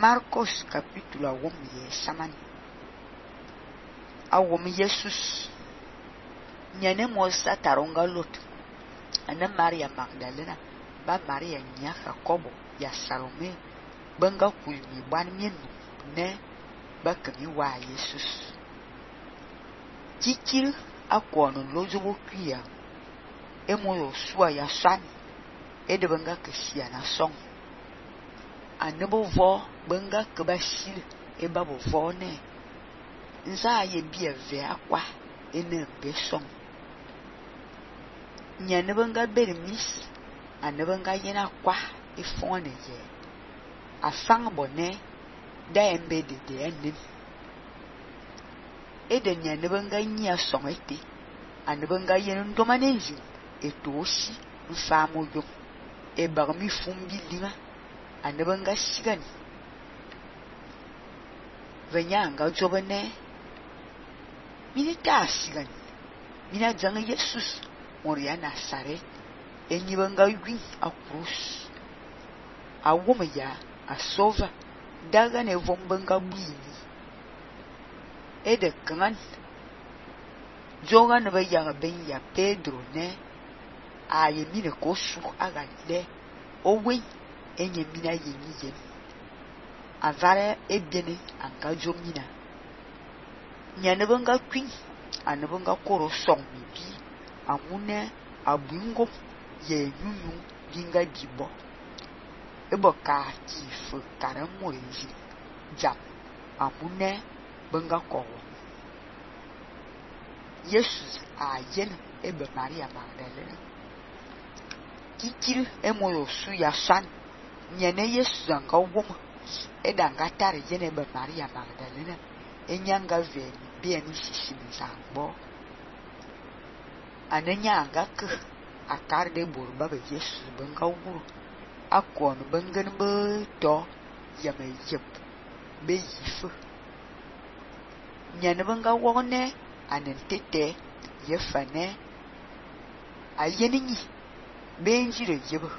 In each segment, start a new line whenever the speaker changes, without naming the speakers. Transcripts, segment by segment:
Marcos capítulo awom ye samani. Awom Jesus. Nyane mosa taronga lot. Ana Maria Magdalena. Ba Maria nya Jacobo ya Salome. Banga kulmi ban mienu ne bakami wa Jesus. Kikil akono lojobo kuya. Emoyo suwa ya san. Ede banga kesiya na song. Anebo vo banga kebasil eba bo vo ne. Nza ye bia ve akwa ene be song. Nyane banga bermis anebanga yena kwa ifone ye. Afang bone da embe de enim. Ede nyane banga nya song ete. Anebanga yena ndomanenzi eto osi mfamo yo. E bagmi fumbi linga. Anebanga sigani. Venyanga jobene. Minita sigani. Mina janga Jesus. Moria Nazaret. Enyibanga win a cruz. A woman ya. A sova. Daga ne vombanga bini. Ede kangan. Joga ne bayanga ben ya Pedro ne. Aye mine kosu aga le. Owe. Enye mina yenyi yen. Avare ebiene anga jomina. Nyanebanga queen. Anebanga koro song mibi. Amune abungo ye yunu binga bibo. Ebo ka kifu karamorezi. Jam. Amune benga kowo. Jesus a yen ebe Maria Magdalena. Kikil emoyo su ya san. Nyene Jesus anga woma. Edanga tare yen ebe Maria Magdalena. Enyanga veni bieni sisimizangbo. Anenya anga ke akar de borba be Jesus benga wuro. Akon bengen be to yame yep be yifu. Nyane benga wone anentete yefane ayeninyi benjire yebo.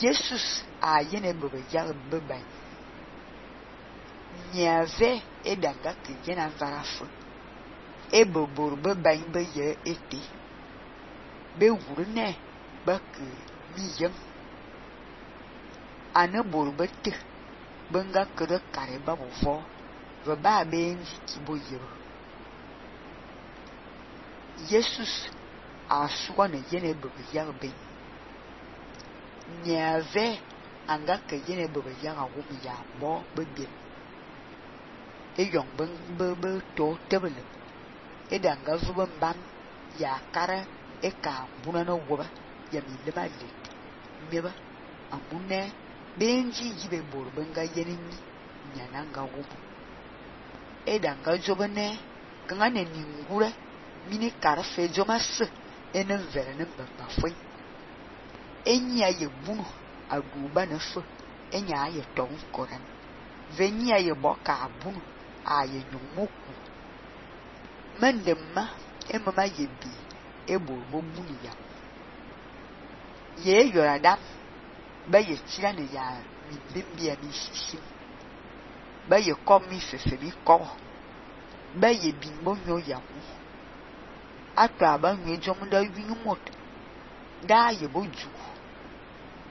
Jesus ayene bebe jar beba. Nyave edanga ke jena varafu. Ebo borbe bebe ye ete. Be wurne bak miyem. Ane borbe te benga kere kare babo vo. Veba benji kibo yebo. Jesus aswa ne yene bebe jar ben. Nyave anga ke yene bebe jar awumi ya bo bebe. Eyong bebe to tebele. Edanga vuba mbam ya kara eka bunana woba ya milema lit. Meba amune benji yibe bor benga yenini nyananga wobu. Edanga jobane kangane ningure mini kara fe jomas enen verene mbamba fwe. Enya ye bunu aduba na fwe. Enya ye tong koran. Venya ye boka abunu aye nyumoku. Mendema emama yebi ebo bobuni ya. Ye yoradam ba ye chirane ya mi bimbi ya mi sisim. Ba ye kom mi fefe mi ko. Ba ye bimbo nyo ya mu. Atwa ba nwe jomda winu mot. Da ye boju.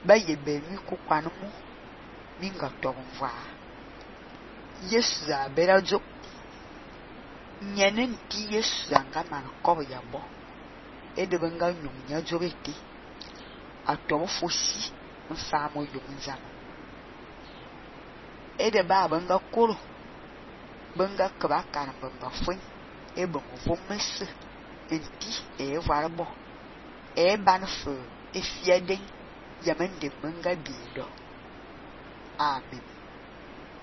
Ba ye be mi kukwanu mu. Minga tongva. Yes za bera jo. Nyenen ti Yesu anga man kobo ya bo. Ede benga nyunya jobeti. Atomo fosi mfamo yunza. Ede ba benga koro. Benga kaba kan benga fwen. Ebe mvo mese. Enti varbo. Banfe efieden yamende benga bido. Amen.